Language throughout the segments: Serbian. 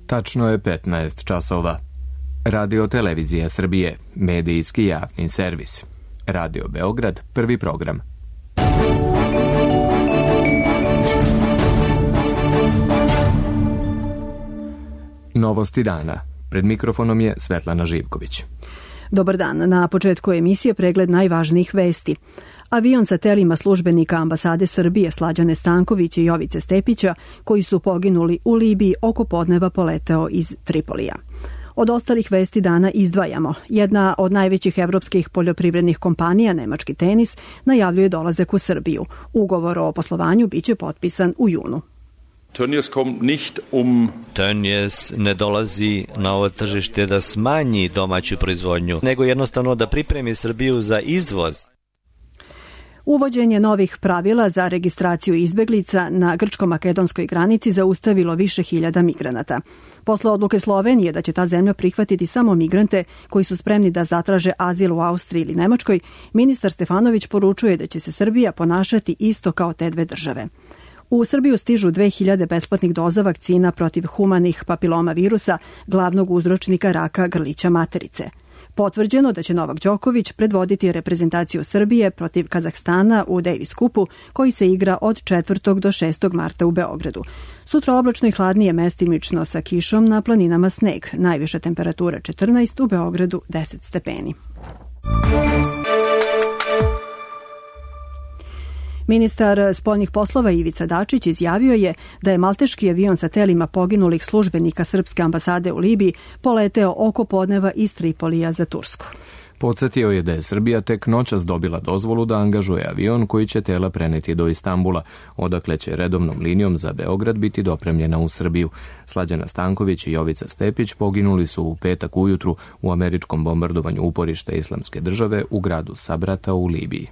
Tačno je 15 časova. Radio Televizija Srbije, medijski javni servis. Radio Beograd, prvi program. Novosti dana. Pred mikrofonom je Svetlana Živković. Dobar dan. Na početku emisije pregled najvažnijih vesti. Avion sa telima službenika ambasade Srbije Slađane Stankovića i Jovice Stepića, koji su poginuli u Libiji, oko podneva poleteo iz Tripolija. Od ostalih vesti dana izdvajamo. Jedna od najvećih evropskih poljoprivrednih kompanija, nemački Tenis, najavljuje dolazak u Srbiju. Ugovor o poslovanju biće potpisan u junu. Tönnies ne dolazi na ovo tržište da smanji domaću proizvodnju, nego jednostavno da pripremi Srbiju za izvoz. Uvođenje novih pravila za registraciju izbeglica na grčko-makedonskoj granici zaustavilo više hiljada migranata. Posle odluke Slovenije da će ta zemlja prihvatiti samo migrante koji su spremni da zatraže azil u Austriji ili Nemačkoj, ministar Stefanović poručuje da će se Srbija ponašati isto kao te dve države. U Srbiju stižu 2000 besplatnih doza vakcina protiv humanih papiloma virusa, glavnog uzročnika raka grlića materice. Potvrđeno da će Novak Đoković predvoditi reprezentaciju Srbije protiv Kazahstana u Davis Cupu, koji se igra od 4. do 6. marta u Beogradu. Sutra oblačno i hladnije, mestimično sa kišom, na planinama sneg. Najviša temperatura 14, u Beogradu 10 stepeni. Ministar spoljnih poslova Ivica Dačić izjavio je da je malteški avion sa telima poginulih službenika srpske ambasade u Libiji poleteo oko podneva iz Tripolija za Tursku. Podsjetio je da je Srbija tek noćas dobila dozvolu da angažuje avion koji će tela preneti do Istanbula, odakle će redovnom linijom za Beograd biti dopremljena u Srbiju. Slađana Stanković i Jovica Stepić poginuli su u petak ujutru u američkom bombardovanju uporišta Islamske države u gradu Sabrata u Libiji.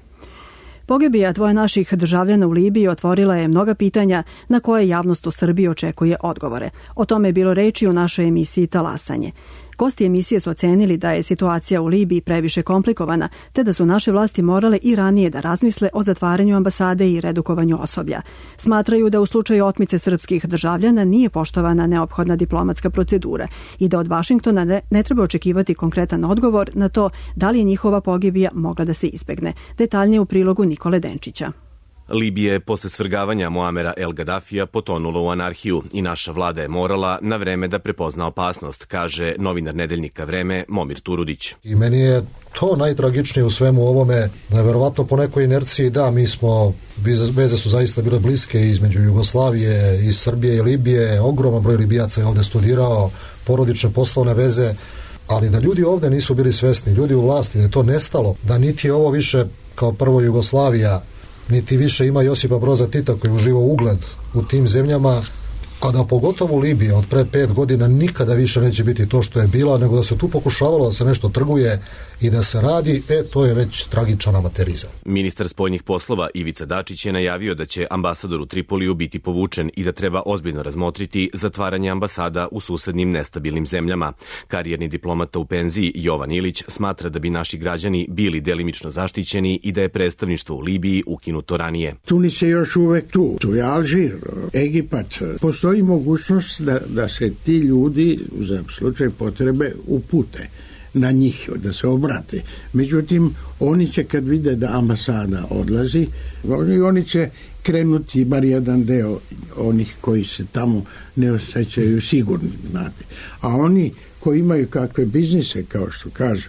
Pogibija dvoje naših državljana u Libiji otvorila je mnoga pitanja na koje javnost u Srbiji očekuje odgovore. O tome je bilo reči u našoj emisiji Talasanje. Gosti emisije su ocenili da je situacija u Libiji previše komplikovana, te da su naše vlasti morale i ranije da razmisle o zatvaranju ambasade i redukovanju osoblja. Smatraju da u slučaju otmice srpskih državljana nije poštovana neophodna diplomatska procedura i da od Vašingtona ne treba očekivati konkretan odgovor na to da li je njihova pogibija mogla da se izbegne. Detaljnije u prilogu Nikole Denčića. Libija je posle svrgavanja Muamera El Gaddafija potonula u anarhiju i naša vlada je morala na vreme da prepozna opasnost, kaže novinar nedeljnika Vreme Momir Turudić. I meni je to najtragičnije u svemu ovome, da je verovatno po nekoj inerciji, da, mi smo, veze su zaista bile bliske između Jugoslavije i Srbije i Libije, ogroman broj Libijaca je ovde studirao, porodične poslovne veze, ali da ljudi ovde nisu bili svesni, ljudi u vlasti, da je to nestalo, da niti je ovo više kao prvo Jugoslavija, niti više ima Josipa Broza Tita koji uživa ugled u tim zemljama, a da pogotovo Libija od pre 5 godina nikada više neće biti to što je bila, nego da se tu pokušavalo da se nešto trguje i da se radi, to je već tragičan amaterizam. Ministar spoljnih poslova Ivica Dačić je najavio da će ambasador u Tripoliju biti povučen i da treba ozbiljno razmotriti zatvaranje ambasada u susednim nestabilnim zemljama. Karijerni diplomata u penziji Jovan Ilić smatra da bi naši građani bili delimično zaštićeni i da je predstavništvo u Libiji ukinuto ranije. Tunis je još uvek tu. Tu je Alžir, Egipat. Postoji mogućnost da se ti ljudi za slučaj potrebe upute na njih, da se obrate. Međutim, oni će kad vide da ambasada odlazi, oni će krenuti bar jedan deo onih koji se tamo ne osjećaju sigurni, znate. A oni koji imaju kakve biznise, kao što kažu,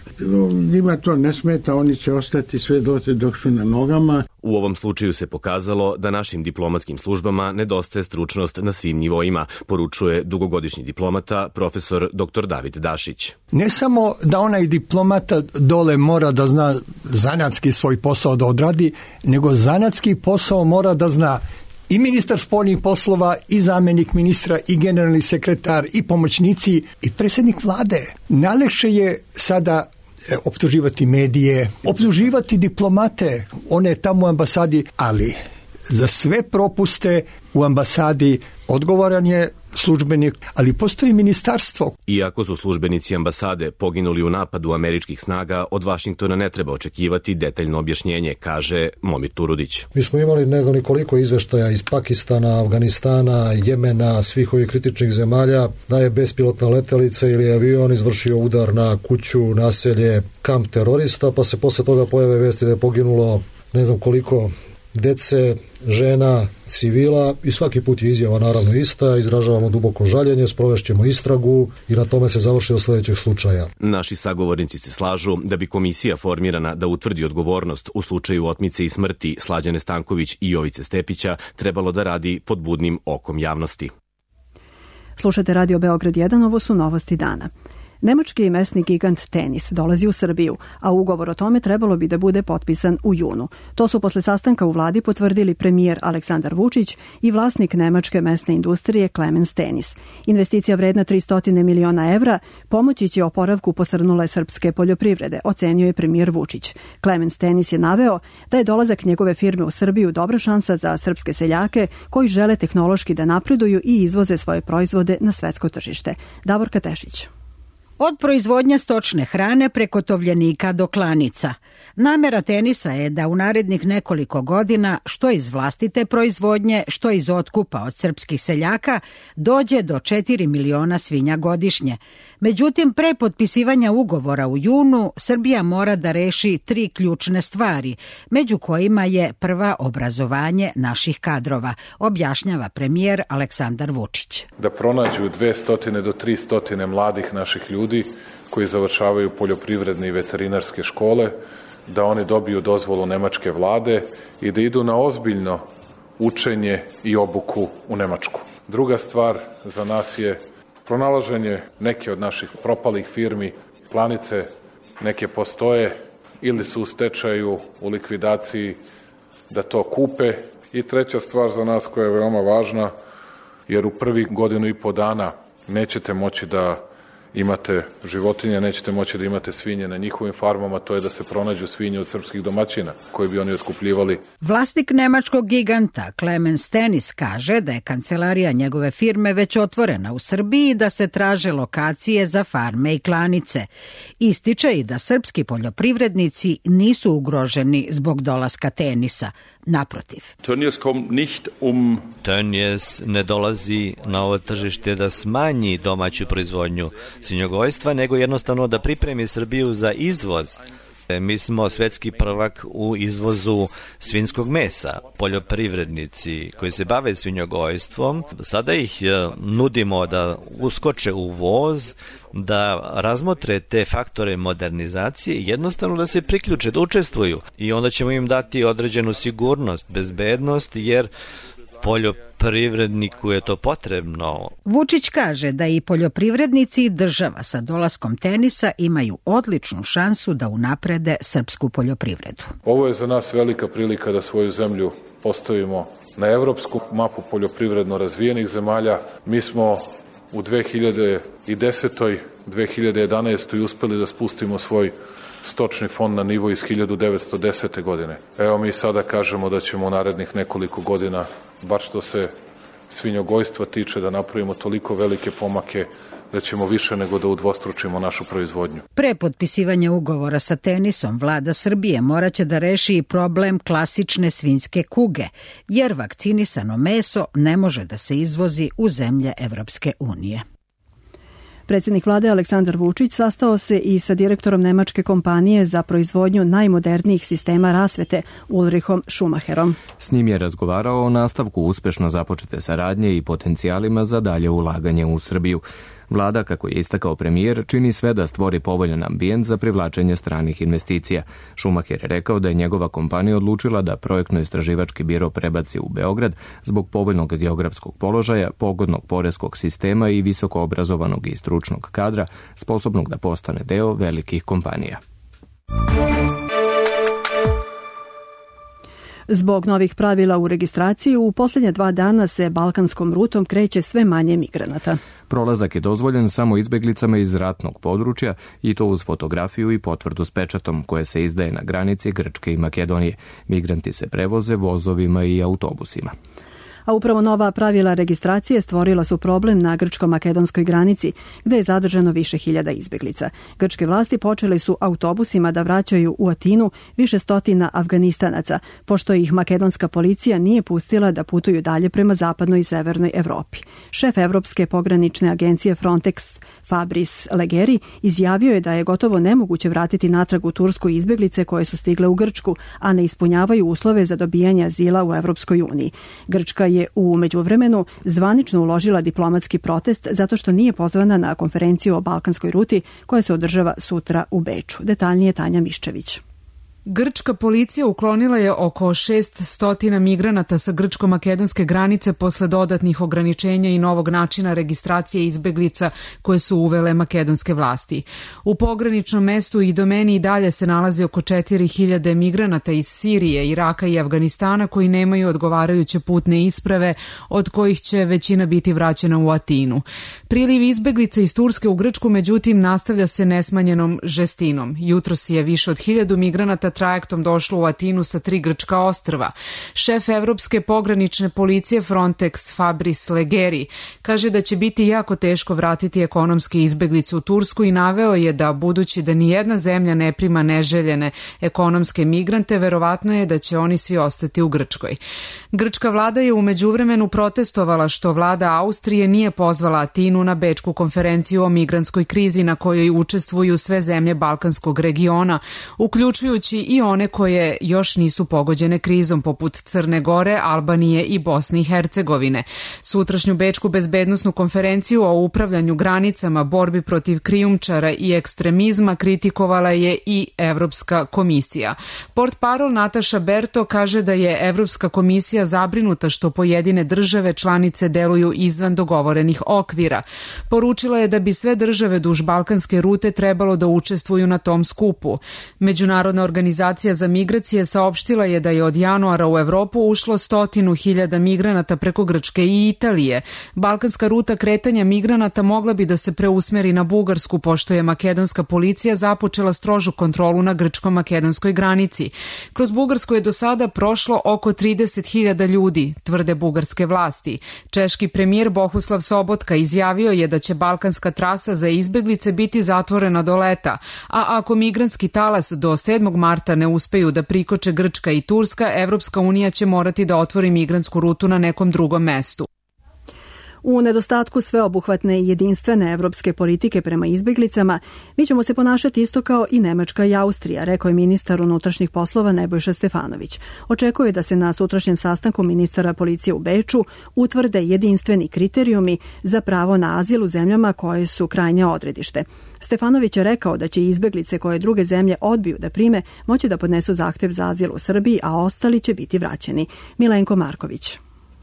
njima to ne smeta, oni će ostati sve dotle dok su na nogama. U ovom slučaju se pokazalo da našim diplomatskim službama nedostaje stručnost na svim nivoima, poručuje dugogodišnji diplomata profesor dr. David Dašić. Ne samo da onaj diplomata dole mora da zna zanatski svoj posao da odradi, nego zanatski posao mora da zna i ministar spoljnih poslova, i zamjenik ministra, i generalni sekretar, i pomoćnici, i predsjednik vlade. Najlakše je sada optuživati medije, optuživati diplomate, one tamo u ambasadi, ali za sve propuste u ambasadi odgovoran je službenik, ali postoji ministarstvo. Iako su službenici ambasade poginuli u napadu američkih snaga, od Vašingtona ne treba očekivati detaljno objašnjenje, kaže Momir Turudić. Mi smo imali ne znam ni koliko izveštaja iz Pakistana, Afganistana, Jemena, svih ovih kritičnih zemalja, da je bespilotna letelica ili avion izvršio udar na kuću, naselje, kamp terorista, pa se posle toga pojave vesti da je poginulo ne znam koliko dece, žena, civila i svaki put je izjava naravno ista, izražavamo duboko žaljenje, sprovešćemo istragu i na tome se završi do sledećeg slučaja. Naši sagovornici se slažu da bi komisija formirana da utvrdi odgovornost u slučaju otmice i smrti Slađane Stanković i Jovice Stepića trebalo da radi pod budnim okom javnosti. Slušate Radio Beograd 1, ovo su novosti dana. Nemački mesni gigant Tenis dolazi u Srbiju, a ugovor o tome trebalo bi da bude potpisan u junu. To su posle sastanka u vladi potvrdili premijer Aleksandar Vučić i vlasnik nemačke mesne industrije Clemens Tenis. Investicija vredna 300 miliona evra pomoći će oporavku posrnule srpske poljoprivrede, ocenio je premijer Vučić. Clemens Tenis je naveo da je dolazak njegove firme u Srbiju dobra šansa za srpske seljake koji žele tehnološki da napreduju i izvoze svoje proizvode na svetsko tržište. Davorka Tešić. Od proizvodnja stočne hrane preko tovljenika do klanica. Namera Tenisa je da u narednih nekoliko godina, što iz vlastite proizvodnje, što iz otkupa od srpskih seljaka, dođe do 4 miliona svinja godišnje. Međutim, pre potpisivanja ugovora u junu, Srbija mora da reši 3 ključne stvari, među kojima je prva obrazovanje naših kadrova, objašnjava premijer Aleksandar Vučić. Da pronađu 200 do 300 mladih naših ljudi koji završavaju poljoprivredne i veterinarske škole, da oni dobiju dozvolu nemačke vlade i da idu na ozbiljno učenje i obuku u Nemačku. Druga stvar za nas je pronalaženje neke od naših propalih firmi, klanice neke postoje ili su u stečaju, u likvidaciji, da to kupe. I treća stvar za nas koja je veoma važna, jer u prvih 1.5 dana nećete moći da imate životinje, nećete moći da imate svinje na njihovim farmama, to je da se pronađu svinje od srpskih domaćina koje bi oni otkupljivali. Vlasnik nemačkog giganta Clemens Tenis kaže da je kancelarija njegove firme već otvorena u Srbiji i da se traže lokacije za farme i klanice. Ističe i da srpski poljoprivrednici nisu ugroženi zbog dolaska Tenisa. Naprotiv. Tönnies ne dolazi na ovo tržište da smanji domaću proizvodnju svinjogojstva, nego jednostavno da pripremi Srbiju za izvoz. Mi smo svetski prvak u izvozu svinjskog mesa. Poljoprivrednici koji se bave svinjogojstvom, sada ih nudimo da uskoče u voz, da razmotre te faktore modernizacije i jednostavno da se priključe, da učestvuju. I onda ćemo im dati određenu sigurnost, bezbednost, jer poljoprivredniku je to potrebno. Vučić kaže da i poljoprivrednici i država sa dolaskom Tenisa imaju odličnu šansu da unaprede srpsku poljoprivredu. Ovo je za nas velika prilika da svoju zemlju postavimo na evropsku mapu poljoprivredno razvijenih zemalja. Mi smo u 2010. 2011. uspeli da spustimo svoj stočni fond na nivo iz 1910. godine. Evo mi sada kažemo da ćemo u narednih nekoliko godina, bar što se svinjogojstva tiče, da napravimo toliko velike pomake da ćemo više nego da udvostručimo našu proizvodnju. Pre potpisivanja ugovora sa Tenisom, vlada Srbije moraće da reši i problem klasične svinjske kuge, jer vakcinisano meso ne može da se izvozi u zemlje Evropske unije. Predsjednik vlade Aleksandar Vučić sastao se i sa direktorom nemačke kompanije za proizvodnju najmodernijih sistema rasvete Ulrichom Schumacherom. S njim je razgovarao o nastavku uspešno započete saradnje i potencijalima za dalje ulaganje u Srbiju. Vlada, kako je istakao premijer, čini sve da stvori povoljan ambijent za privlačenje stranih investicija. Schumacher je rekao da je njegova kompanija odlučila da projektno-istraživački biro prebaci u Beograd zbog povoljnog geografskog položaja, pogodnog poreskog sistema i visoko obrazovanog i stručnog kadra, sposobnog da postane deo velikih kompanija. Zbog novih pravila u registraciji, u posljednje 2 dana se balkanskom rutom kreće sve manje migranata. Prolazak je dozvoljen samo izbeglicama iz ratnog područja i to uz fotografiju i potvrdu s pečatom koje se izdaje na granici Grčke i Makedonije. Migranti se prevoze vozovima i autobusima. A upravo nova pravila registracije stvorila su problem na grčko-makedonskoj granici, gde je zadržano više hiljada izbeglica. Grčke vlasti počele su autobusima da vraćaju u Atinu više stotina Afganistanaca, pošto ih makedonska policija nije pustila da putuju dalje prema zapadnoj i severnoj Evropi. Šef Evropske pogranične agencije Frontex Fabrice Leggeri izjavio je da je gotovo nemoguće vratiti natrag u Tursku izbeglice koje su stigle u Grčku, a ne ispunjavaju uslove za dobijanje azila u Evropskoj uniji. Grčka je u međuvremenu zvanično uložila diplomatski protest zato što nije pozvana na konferenciju o balkanskoj ruti koja se održava sutra u Beču. Detaljnije Tanja Miščević. Grčka policija uklonila je oko 600 migranata sa grčko-makedonske granice posle dodatnih ograničenja i novog načina registracije izbeglica koje su uvele makedonske vlasti. U pograničnom mestu i domeni i dalje se nalazi oko 4000 migranata iz Sirije, Iraka i Afganistana koji nemaju odgovarajuće putne isprave, od kojih će većina biti vraćena u Atinu. Priliv izbeglica iz Turske u Grčku, međutim, nastavlja se nesmanjenom žestinom. Jutros je više od 1000 migranata trajektom došlo u Atinu sa 3 grčka ostrva. Šef Evropske pogranične policije Frontex Fabrice Leggeri kaže da će biti jako teško vratiti ekonomske izbeglice u Tursku i naveo je da, budući da nijedna zemlja ne prima neželjene ekonomske migrante, verovatno je da će oni svi ostati u Grčkoj. Grčka vlada je u međuvremenu protestovala što vlada Austrije nije pozvala Atinu na Bečku konferenciju o migrantskoj krizi na kojoj učestvuju sve zemlje Balkanskog regiona, uključujući i one koje još nisu pogođene krizom, poput Crne Gore, Albanije i Bosne i Hercegovine. Sutrašnju Bečku bezbednosnu konferenciju o upravljanju granicama, borbi protiv krijumčara i ekstremizma kritikovala je i Evropska komisija. Portparol Nataša Berto kaže da je Evropska komisija zabrinuta što pojedine države članice deluju izvan dogovorenih okvira. Poručila je da bi sve države duž balkanske rute trebalo da učestvuju na tom skupu. Međunarodna organizacija za migracije saopštila je da je od januara u Evropu ušlo 100.000 migranata preko Grčke i Italije. Balkanska ruta kretanja migranata mogla bi da se preusmeri na Bugarsku, pošto je makedonska policija započela strožu kontrolu na grčko-makedonskoj granici. Kroz Bugarsku je do sada prošlo oko 30.000 ljudi, tvrde bugarske vlasti. Češki premijer Bohuslav Sobotka izjavio je da će balkanska trasa za izbeglice biti zatvorena do leta, a ako migrantski talas do 7. marta ne uspeju da prikoče Grčka i Turska, Evropska unija će morati da otvori migrantsku rutu na nekom drugom mestu. U nedostatku sveobuhvatne i jedinstvene evropske politike prema izbeglicama, mi ćemo se ponašati isto kao i Nemačka i Austrija, rekao je ministar unutrašnjih poslova Nebojša Stefanović. Očekuje da se na sutrašnjem sastanku ministara policije u Beču utvrde jedinstveni kriterijumi za pravo na azil u zemljama koje su krajnje odredište. Stefanović je rekao da će izbeglice koje druge zemlje odbiju da prime moći da podnesu zahtev za azil u Srbiji, a ostali će biti vraćeni. Milenko Marković.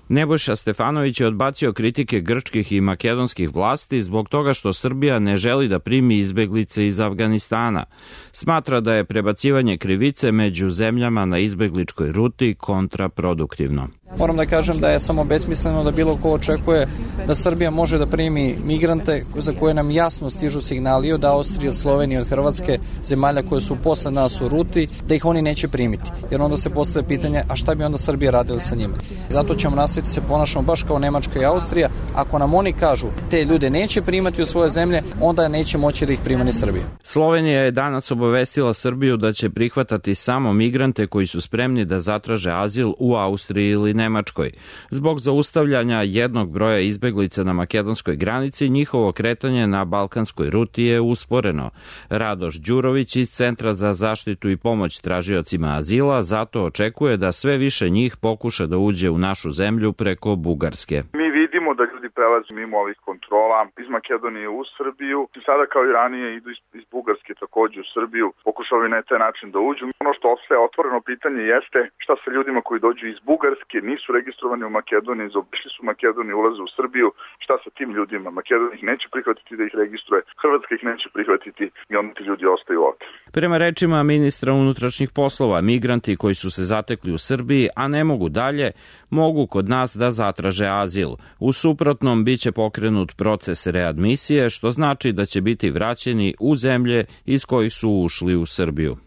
Nebojša Stefanović je odbacio kritike grčkih i makedonskih vlasti zbog toga što Srbija ne želi da primi izbeglice iz Afganistana. Smatra da je prebacivanje krivice među zemljama na izbegličkoj ruti kontraproduktivno. Moram da kažem da je samo besmisleno da bilo ko očekuje da Srbija može da primi migrante za koje nam jasno stižu signali od Austrije, od Slovenije, od Hrvatske, zemalja koje su posle nas u ruti, da ih oni neće primiti. Jer onda se postavlja pitanje, a šta bi onda Srbija radila sa njima? Zato ćemo nastaviti se ponašamo baš kao Nemačka i Austrija. Ako nam oni kažu te ljude neće primati u svoje zemlje, onda neće moći da ih prima ni Srbija. Slovenija je danas obavestila Srbiju da će prihvatati samo migrante koji su spremni da zatraže azil u Austriji ili Nemačkoj. Zbog zaustavljanja jednog broja izbeglica na makedonskoj granici, njihovo kretanje na balkanskoj ruti je usporeno. Radoš Đurović iz Centra za zaštitu i pomoć tražiocima azila zato očekuje da sve više njih pokuša da uđe u našu zemlju preko Bugarske. Mi vidimo da ljudi prelaze mimo ovih kontrola iz Makedonije u Srbiju. Sada kao i ranije idu iz Bugarske takođe u Srbiju. Pokušavaju na taj način da uđu. Ono što ostaje otvoreno pitanje jeste šta sa ljudima koji dođu iz Bugarske, nisu registrovani u Makedoniji, zaobišli su Makedoniju, ulaze u Srbiju. Šta sa tim ljudima? Makedonija ih neće prihvatiti da ih registruje, Hrvatska ih neće prihvatiti i onda ti ljudi ostaju ovde. Prema rečima ministra unutrašnjih poslova, migranti koji su se zatekli u Srbiji, a ne mogu dalje, mogu kod nas da zatraže azil. U suprotnom biće pokrenut proces readmisije, što znači da će biti vraćeni u zemlje iz kojih su ušli u Srbiju.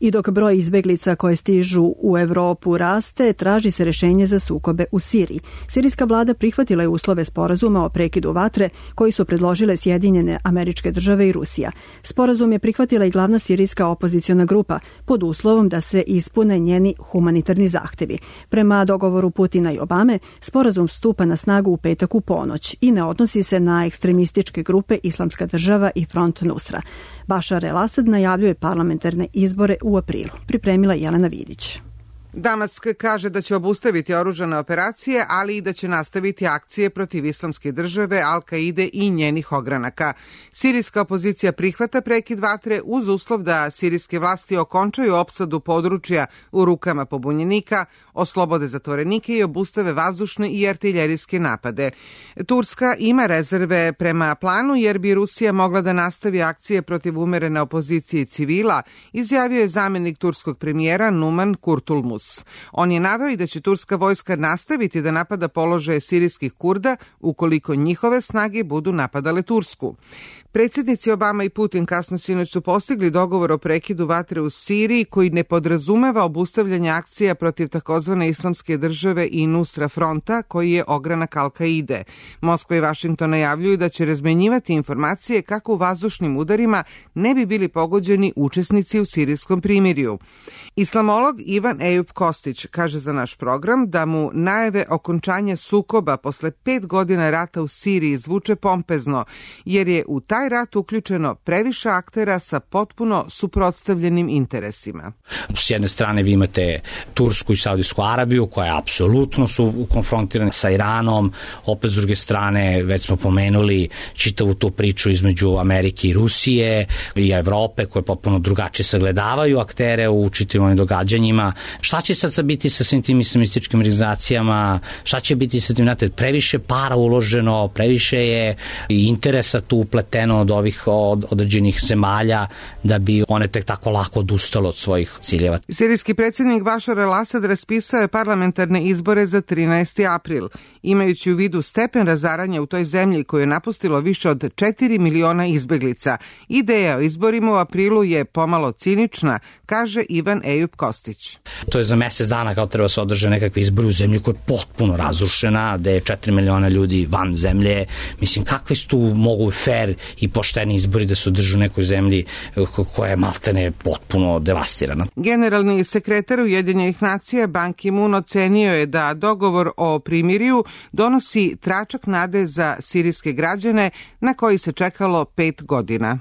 I dok broj izbeglica koje stižu u Evropu raste, traži se rešenje za sukobe u Siriji. Sirijska vlada prihvatila je uslove sporazuma o prekidu vatre koji su predložile Sjedinjene Američke Države i Rusija. Sporazum je prihvatila i glavna sirijska opoziciona grupa pod uslovom da se ispune njeni humanitarni zahtevi. Prema dogovoru Putina i Obame, sporazum stupa na snagu u petak u ponoć i ne odnosi se na ekstremističke grupe Islamska država i Front Nusra. Bašar el-Asad najavljuje parlamentarne izbore u aprilu. Pripremila Jelena Vidić. Damask kaže da će obustaviti oružane operacije, ali i da će nastaviti akcije protiv Islamske države, Al-Kaide i njenih ogranaka. Sirijska opozicija prihvata prekid vatre uz uslov da sirijske vlasti okončaju opsadu područja u rukama pobunjenika, oslobode zatvorenike i obustave vazdušne i artiljerijske napade. Turska ima rezerve prema planu jer bi Rusija mogla da nastavi akcije protiv umerene opozicije civila, izjavio je zamenik turskog premijera Numan Kurtulmus. On je naveo i da će turska vojska nastaviti da napada položaje sirijskih Kurda ukoliko njihove snage budu napadale Tursku. Predsjednici Obama i Putin kasno sinoć su postigli dogovor o prekidu vatre u Siriji koji ne podrazumeva obustavljanje akcija protiv takozvane Islamske države i Nusra fronta koji je ogranak Al-Kaide. Moskva i Vašington najavljuju da će razmenjivati informacije kako u vazdušnim udarima ne bi bili pogođeni učesnici u sirijskom primirju. Islamolog Ivan Ejup Kostić kaže za naš program da mu najave okončanja sukoba posle 5 godina rata u Siriji zvuče pompezno, jer je u taj rat uključeno previše aktera sa potpuno suprotstavljenim interesima. S jedne strane vi imate Tursku i Saudijsku Arabiju koje apsolutno su konfrontirane sa Iranom, opet s druge strane već smo pomenuli čitavu tu priču između Amerike i Rusije i Evrope koje potpuno drugačije sagledavaju aktere u čitavim ovim događanjima. Šta će sad biti sa svim tim islamističkim organizacijama, šta će biti sa tim, znate, previše para uloženo, previše je interesa tu upleteno od ovih određenih zemalja da bi one tek tako lako odustalo od svojih ciljeva. Sirijski predsjednik Bašar el-Asad raspisao je parlamentarne izbore za 13. april. Imajući u vidu stepen razaranja u toj zemlji koju je napustilo više od 4 miliona izbeglica, ideja o izborima u aprilu je pomalo cinična, kaže Ivan Ejup Kostić. To je za mesec dana kao treba se održe nekakve izbori u zemlji koja je potpuno razrušena, gde je 4 miliona ljudi van zemlje. Mislim, kakve su tu mogu fair i pošteni izbori da se održu u nekoj zemlji koja je maltene potpuno devastirana. Generalni sekretar Ujedinjenih nacija Ban Ki-moon ocenio je da dogovor o primirju donosi tračak nade za sirijske građane na koji se čekalo 5 godina.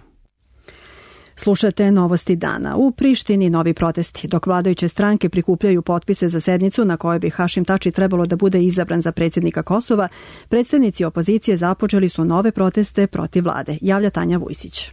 Slušate Novosti dana. U Prištini novi protesti. Dok vladajuće stranke prikupljaju potpise za sednicu na kojoj bi Hašim Tači trebalo da bude izabran za predsjednika Kosova, predstavnici opozicije započeli su nove proteste protiv vlade. Javlja Tanja Vujsić.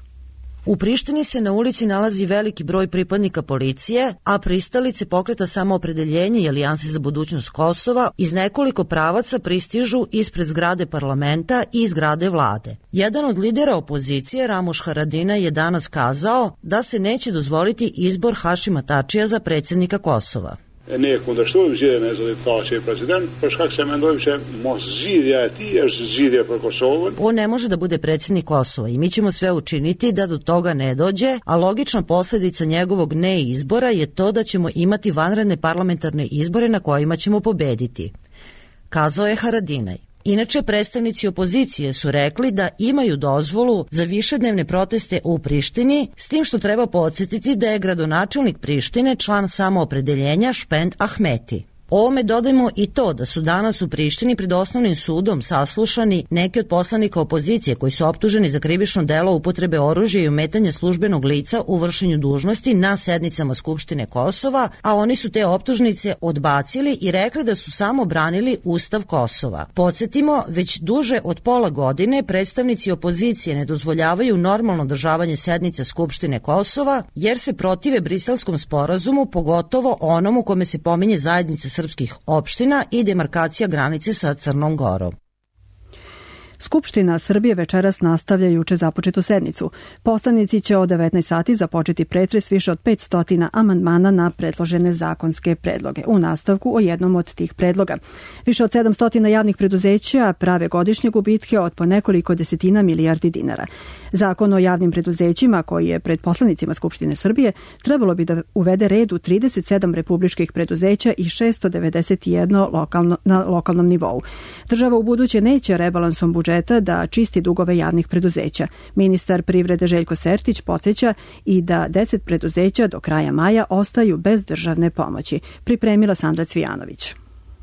U Prištini se na ulici nalazi veliki broj pripadnika policije, a pristalice pokreta Samoopredeljenje i Alijanse za budućnost Kosova iz nekoliko pravaca pristižu ispred zgrade parlamenta i zgrade vlade. Jedan od lidera opozicije, Ramoš Haradinaj, je danas kazao da se neće dozvoliti izbor Hašima Tačija za predsjednika Kosova. Ne kundërshtojmë zgjedhjen e zotit Taçi president, për shkak se mendojmë që mos zgjidhja e tij është zgjidhje për Kosovën. On ne može da bude predsjednik Kosova i mi ćemo sve učiniti da do toga ne dođe, a logična posljedica njegovog neizbora je to da ćemo imati vanredne parlamentarne izbore na kojima ćemo pobediti, kazao je Haradinaj. Inače, predstavnici opozicije su rekli da imaju dozvolu za višednevne proteste u Prištini, s tim što treba podsjetiti da je gradonačelnik Prištine član Samoopredeljenja Špend Ahmeti. Ovome dodajmo i to da su danas u Prištini pred osnovnim sudom saslušani neki od poslanika opozicije koji su optuženi za krivično delo upotrebe oružja i ometanja službenog lica u vršenju dužnosti na sednicama Skupštine Kosova, a oni su te optužnice odbacili i rekli da su samo branili Ustav Kosova. Podsjetimo, već duže od pola godine predstavnici opozicije ne dozvoljavaju normalno održavanje sednica Skupštine Kosova jer se protive Briselskom sporazumu, pogotovo onom u kome se pominje zajednica srpskih opština i demarkacija granice sa Crnom Gorom. Skupština Srbije večeras nastavlja juče započetu sednicu. Poslanici će od 19 sati započeti pretres više od 500 amandmana na predložene zakonske predloge. U nastavku o jednom od tih predloga. Više od 700 javnih preduzeća prave godišnje gubitke od po nekoliko desetina milijardi dinara. Zakon o javnim preduzećima, koji je pred poslanicima Skupštine Srbije, trebalo bi da uvede red u 37 republičkih preduzeća i 691 na lokalnom nivou. Država u buduće neće rebalansom budžeta da čisti dugove javnih preduzeća. Ministar privrede Željko Sertić podsjeća i da 10 preduzeća do kraja maja ostaju bez državne pomoći. Pripremila Sandra Cvijanović.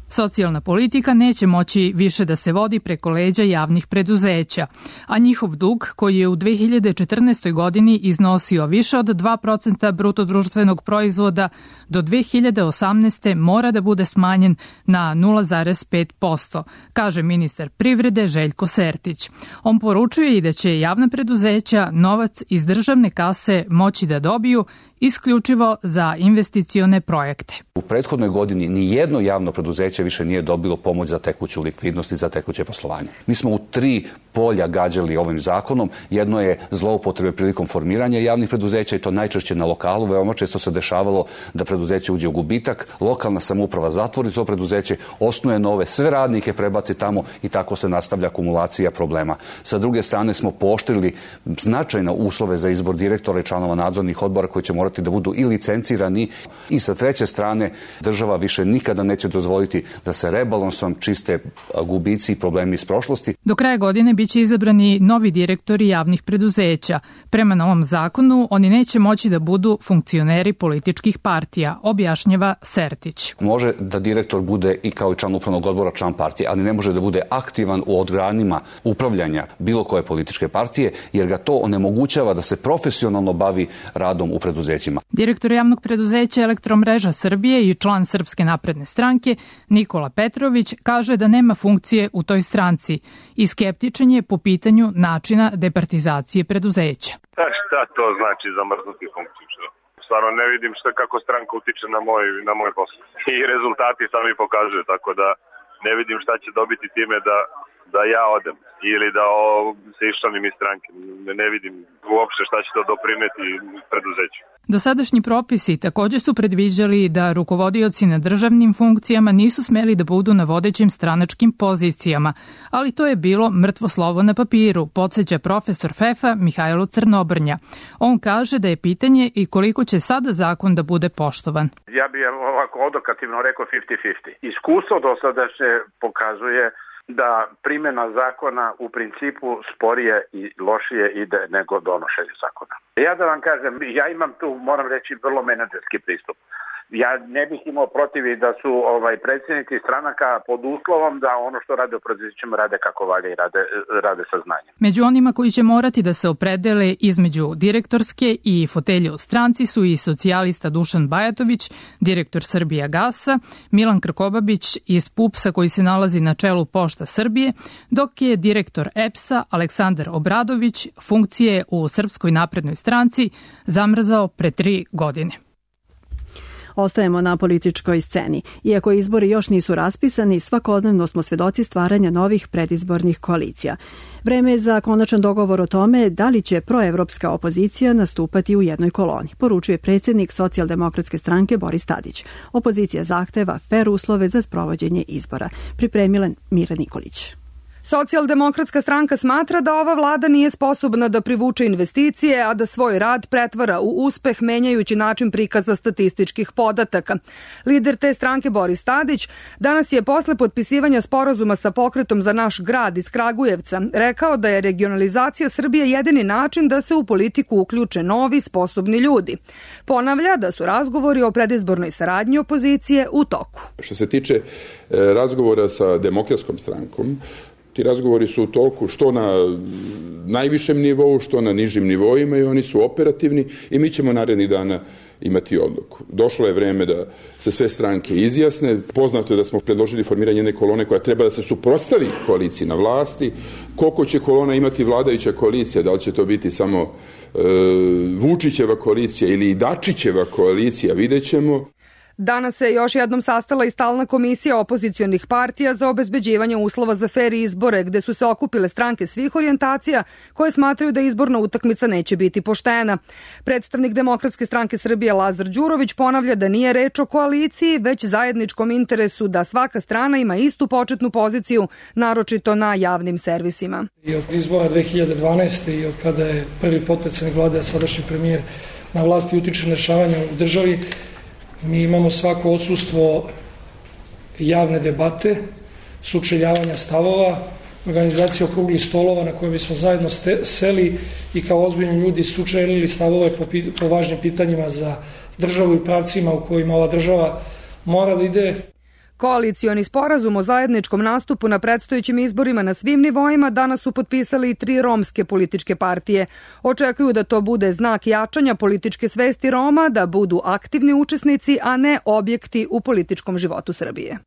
Socijalna politika neće moći više da se vodi preko leđa javnih preduzeća, a njihov dug, koji je u 2014. godini iznosio više od 2% brutodruštvenog proizvoda, do 2018. mora da bude smanjen na 0,5%, kaže ministar privrede Željko Sertić. On poručuje i da će javna preduzeća novac iz državne kase moći da dobiju isključivo za investicione projekte. U prethodnoj godini ni jedno javno preduzeće više nije dobilo pomoć za tekuću likvidnost i za tekuće poslovanje. Mi smo u 3 polja gađali ovim zakonom. Jedno je zloupotrebe prilikom formiranja javnih preduzeća i to najčešće na lokalu. Veoma često se dešavalo da preduzeće uđe u gubitak, lokalna samouprava zatvori to preduzeće, osnuje nove, sve radnike prebaci tamo i tako se nastavlja akumulacija problema. Sa druge strane smo pooštrili značajno uslove za izbor direktora i članova nadzornih odbora koji će morati da budu i licencirani, i sa treće strane država više nikada neće dozvoliti da se rebalansom čiste gubici i problemi iz prošlosti. Do kraja godine biće izabrani novi direktori javnih preduzeća. Prema novom zakonu oni neće moći da budu funkcioneri političkih partija, objašnjava Sertić. Može da direktor bude i kao i član upravnog odbora član partije, ali ne može da bude aktivan u organima upravljanja bilo koje političke partije, jer ga to onemogućava da se profesionalno bavi radom u preduzećima. Direktor javnog preduzeća Elektromreža Srbije i član Srpske napredne stranke Nikola Petrović kaže da nema funkcije u toj stranci i skeptičan je po pitanju načina departizacije preduzeća. Šta to znači zamrznuti funkciju? Stvarno ne vidim kako stranka utiče na moj posao. I rezultati sami pokazuju, tako da ne vidim šta će dobiti time da ja odem ili da se iščlanim iz stranke. Ne vidim uopšte šta će to doprineti preduzeću. Dosadašnji propisi također su predviđali da rukovodioci na državnim funkcijama nisu smeli da budu na vodećim stranačkim pozicijama, ali to je bilo mrtvo slovo na papiru, podsjeća profesor FEFA Mihajlo Crnobrnja. On kaže da je pitanje i koliko će sada zakon da bude poštovan. Ja bih ovako odokativno rekao 50-50. Iskustvo dosadašnje pokazuje da primjena zakona u principu sporije i lošije ide nego donošenje zakona. Ja da vam kažem, ja imam tu, moram reći, vrlo menadžerski pristup. Ja ne bih imao protiv da su predsjednici stranaka pod uslovom da ono što rade u preduzećima rade kako valja i rade sa znanjem. Među onima koji će morati da se opredele između direktorske i fotelje u stranci su i socijalista Dušan Bajatović, direktor Srbijagasa, Milan Krkobabić iz PUPS-a koji se nalazi na čelu Pošta Srbije, dok je direktor EPS-a Aleksandar Obradović funkcije u Srpskoj naprednoj stranci zamrzao pre 3 godine. Ostajemo na političkoj sceni. Iako izbori još nisu raspisani, svakodnevno smo svedoci stvaranja novih predizbornih koalicija. Vreme je za konačan dogovor o tome da li će proevropska opozicija nastupati u jednoj koloni, poručuje predsjednik Socijaldemokratske stranke Boris Tadić. Opozicija zahteva fer uslove za sprovođenje izbora. Pripremila Mira Nikolić. Socijaldemokratska stranka smatra da ova vlada nije sposobna da privuče investicije, a da svoj rad pretvara u uspeh menjajući način prikaza statističkih podataka. Lider te stranke Boris Tadić danas je posle potpisivanja sporazuma sa Pokretom za naš grad iz Kragujevca rekao da je regionalizacija Srbije jedini način da se u politiku uključe novi, sposobni ljudi. Ponavlja da su razgovori o predizbornoj saradnji opozicije u toku. Što se tiče razgovora sa Demokratskom strankom, ti razgovori su u toku što na najvišem nivou, što na nižim nivoima i oni su operativni i mi ćemo narednih dana imati odluku. Došlo je vreme da se sve stranke izjasne. Poznato je da smo predložili formiranje jedne kolone koja treba da se suprotstavi koaliciji na vlasti. Koliko će kolona imati vladajuća koalicija, da li će to biti samo Vučićeva koalicija ili Dačićeva koalicija, vidjet ćemo. Danas se još jednom sastala i stalna komisija opozicionih partija za obezbeđivanje uslova za fer izbore, gde su se okupile stranke svih orijentacija koje smatraju da izborna utakmica neće biti poštena. Predstavnik Demokratske stranke Srbije Lazar Đurović ponavlja da nije reč o koaliciji, već zajedničkom interesu da svaka strana ima istu početnu poziciju, naročito na javnim servisima. I od izbora 2012. i od kada je prvi potpredsednik vlade, a sadašnji premijer na vlasti, utiče na dešavanja u državi, mi imamo svako odsustvo javne debate, sučeljavanja stavova, organizacije okruglih stolova na koje bismo zajedno seli i kao ozbiljni ljudi sučelili stavove po važnim pitanjima za državu i pravcima u kojima ova država mora da ide. Koalicioni sporazum o zajedničkom nastupu na predstojećim izborima na svim nivoima danas su potpisali i 3 romske političke partije. Očekuju da to bude znak jačanja političke svesti Roma, da budu aktivni učesnici, a ne objekti u političkom životu Srbije.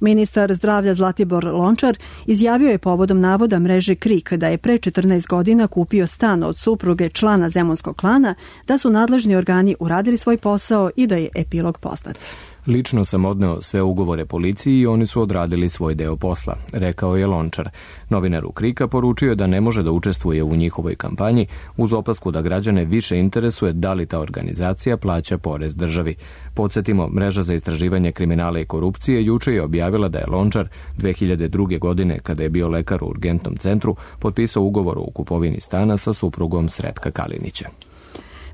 Ministar zdravlja Zlatibor Lončar izjavio je povodom navoda mreže KRIK da je pre 14 godina kupio stan od supruge člana zemunskog klana, da su nadležni organi uradili svoj posao i da je epilog poznat. Lično sam odneo sve ugovore policiji i oni su odradili svoj deo posla, rekao je Lončar. Novinaru KRIK-a poručio je da ne može da učestvuje u njihovoj kampanji uz opasku da građane više interesuje da li ta organizacija plaća porez državi. Podsjetimo, mreža za istraživanje kriminala i korupcije juče je objavila da je Lončar 2002. godine, kada je bio lekar u urgentnom centru, potpisao ugovor o kupovini stana sa suprugom Sretka Kalinića.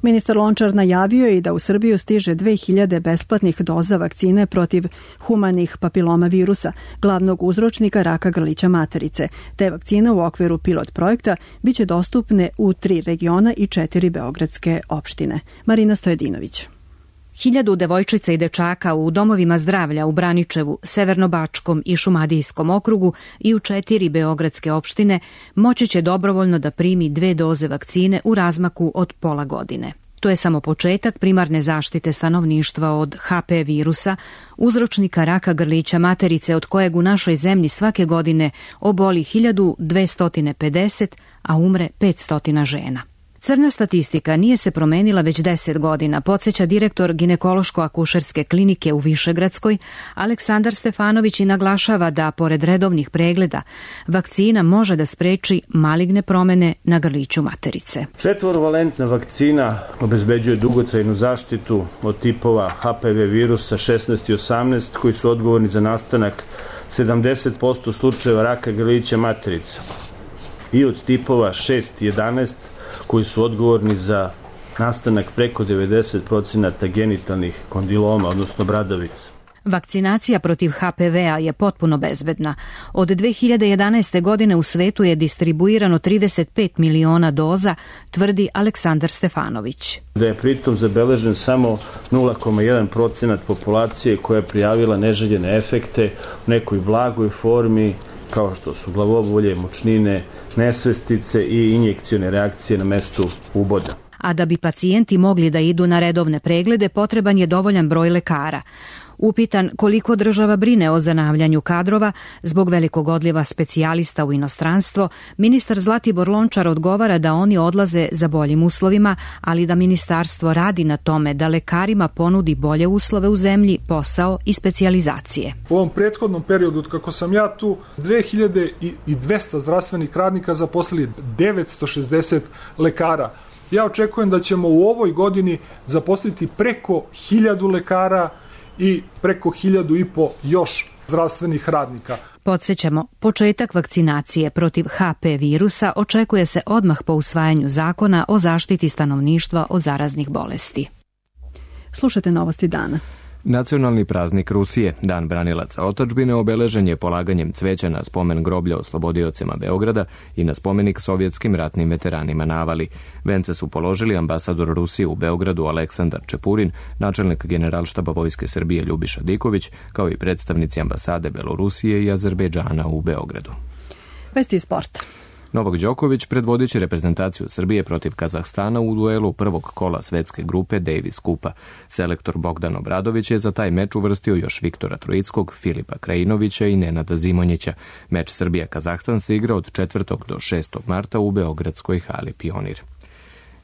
Ministar Lončar najavio je i da u Srbiju stiže 2000 besplatnih doza vakcine protiv humanih papiloma virusa, glavnog uzročnika raka grlića materice. Te vakcine u okviru pilot projekta biće dostupne u 3 regiona i 4 beogradske opštine. Marina Stojedinović. 1000 devojčica i dečaka u domovima zdravlja u Braničevu, Severnobačkom i Šumadijskom okrugu i u 4 beogradske opštine moći će dobrovoljno da primi 2 doze vakcine u razmaku od pola godine. To je samo početak primarne zaštite stanovništva od HP virusa, uzročnika raka grlića materice od kojeg u našoj zemlji svake godine oboli 1250, a umre 500 žena. Crna statistika nije se promenila već 10 godina, podsjeća direktor ginekološko-akušerske klinike u Višegradskoj, Aleksandar Stefanović, i naglašava da, pored redovnih pregleda, vakcina može da spreči maligne promene na grliću materice. 4-valentna vakcina obezbeđuje dugotrajnu zaštitu od tipova HPV virusa 16 i 18 koji su odgovorni za nastanak 70% slučajeva raka grlića materice i od tipova 6 i 11 koji su odgovorni za nastanak preko 90% genitalnih kondiloma, odnosno bradavica. Vakcinacija protiv HPV-a je potpuno bezbedna. Od 2011. godine u svetu je distribuirano 35 miliona doza, tvrdi Aleksandar Stefanović. Da je pritom zabeležen samo 0,1% populacije koja je prijavila neželjene efekte u nekoj blagoj formi, kao što su glavobolje, mučnine, nesvestice i injekcione reakcije na mestu uboda. A da bi pacijenti mogli da idu na redovne preglede, potreban je dovoljan broj lekara. Upitan koliko država brine o zanavljanju kadrova zbog velikog odliva specijalista u inostranstvo, ministar Zlatibor Lončar odgovara da oni odlaze za boljim uslovima, ali da ministarstvo radi na tome da lekarima ponudi bolje uslove u zemlji, posao i specijalizacije. U ovom prethodnom periodu, kako sam ja tu, 2200 zdravstvenih radnika zaposlili 960 lekara. Ja očekujem da ćemo u ovoj godini zaposliti preko 1000 lekara i preko 1500 još zdravstvenih radnika. Podsjećamo, početak vakcinacije protiv HP virusa očekuje se odmah po usvajanju zakona o zaštiti stanovništva od zaraznih bolesti. Slušajte novosti dana. Nacionalni praznik Rusije, Dan branilaca otadžbine, obeležen je polaganjem cveća na spomen groblja oslobodiocima Beograda i na spomenik sovjetskim ratnim veteranima na Avali. Vence su položili ambasador Rusije u Beogradu Aleksandar Čepurin, načelnik Generalštaba Vojske Srbije Ljubiša Diković, kao i predstavnici ambasade Belorusije i Azerbejdžana u Beogradu. Vesti sport. Novak Đoković predvodit će reprezentaciju Srbije protiv Kazahstana u duelu prvog kola svetske grupe Davis Kupa. Selektor Bogdan Obradović je za taj meč uvrstio još Viktora Trojickog, Filipa Krajinovića i Nenada Zimonjića. Meč Srbija-Kazahstan se igra od 4. do 6. marta u beogradskoj hali Pionir.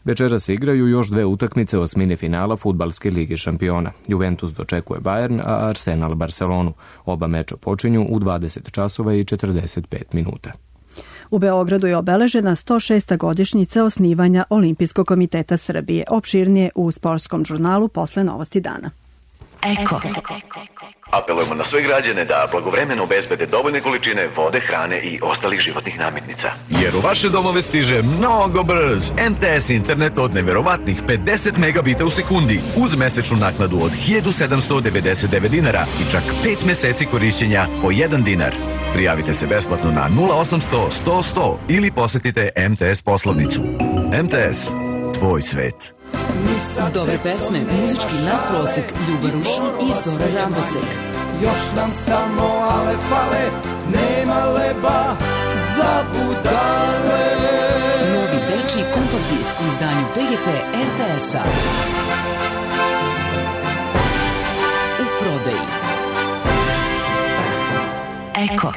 Večera se igraju još 2 utakmice osmine finala Fudbalske lige šampiona. Juventus dočekuje Bayern, a Arsenal Barcelonu. Oba meča počinju u 20 časova i 45 minuta. U Beogradu je obeležena 106. godišnjica osnivanja Olimpijskog komiteta Srbije. Opširnije u sportskom žurnalu posle Novosti dana. Eko. Apelujemo na sve građane da blagovremeno obezbede dovoljne količine vode, hrane i ostalih životnih namirnica. Jer u vaše domove stiže mnogo brz MTS internet od neverovatnih 50 megabita u sekundi uz mesečnu naknadu od 1799 dinara i čak 5 meseci korišćenja po 1 dinar. Prijavite se besplatno na 0800 100 100 ili posetite MTS poslovnicu. MTS, tvoj svet. Dobre pesme, muzički nadprosek, Ljubaruš i Zora Rambosek. Još nam samo ale fale, nema leba za budale. Novi dečiji kompakt disk u izdanju PGP RTS-a. U prodaji. Eko.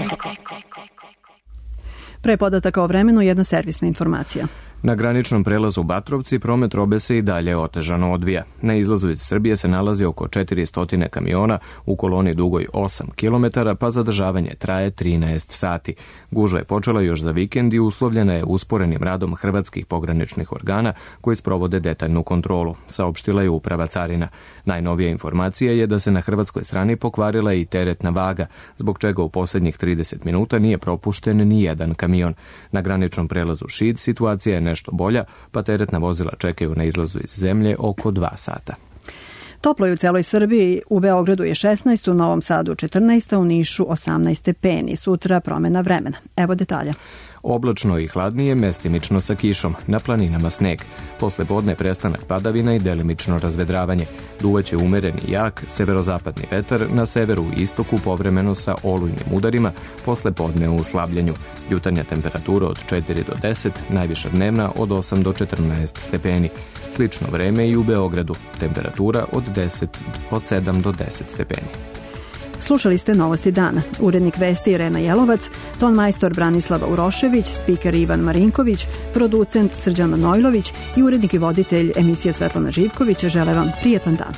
Pre podataka o vremenu jedna servisna informacija. Na graničnom prelazu Batrovci promet robe se i dalje otežano odvija. Na izlazu iz Srbije se nalazi oko 400 kamiona u koloni dugoj 8 km, pa zadržavanje traje 13 sati. Gužva je počela još za vikend i uslovljena je usporenim radom hrvatskih pograničnih organa koji sprovode detaljnu kontrolu, saopštila je Uprava carina. Najnovija informacija je da se na hrvatskoj strani pokvarila i teretna vaga, zbog čega u posljednjih 30 minuta nije propušten ni jedan kamion. Na graničnom prelazu Šid situacija je nešto bolja, pa teretna vozila čekaju na izlazu iz zemlje oko 2 sata. Toplo je u celoj Srbiji, u Beogradu je 16, u Novom Sadu 14, u Nišu 18 stepeni. Sutra promena vremena. Evo detalja. Oblačno i hladnije, mestimično sa kišom, na planinama sneg. Posle podne prestanak padavina i delimično razvedravanje. Duvaće umereni jak severozapadni vetar, na severu i istoku povremeno sa olujnim udarima, posle podne u slabljenju. Jutarnja temperatura od 4 do 10, najviša dnevna od 8 do 14 stepeni. Slično vreme i u Beogradu, temperatura od 7 do 10 stepeni. Slušali ste Novosti dana. Urednik vesti Irena Jelovac, ton majstor Branislava Urošević, spiker Ivan Marinković, producent Srđan Manojlović i urednik i voditelj emisije Svetlana Živković žele vam prijetan dan.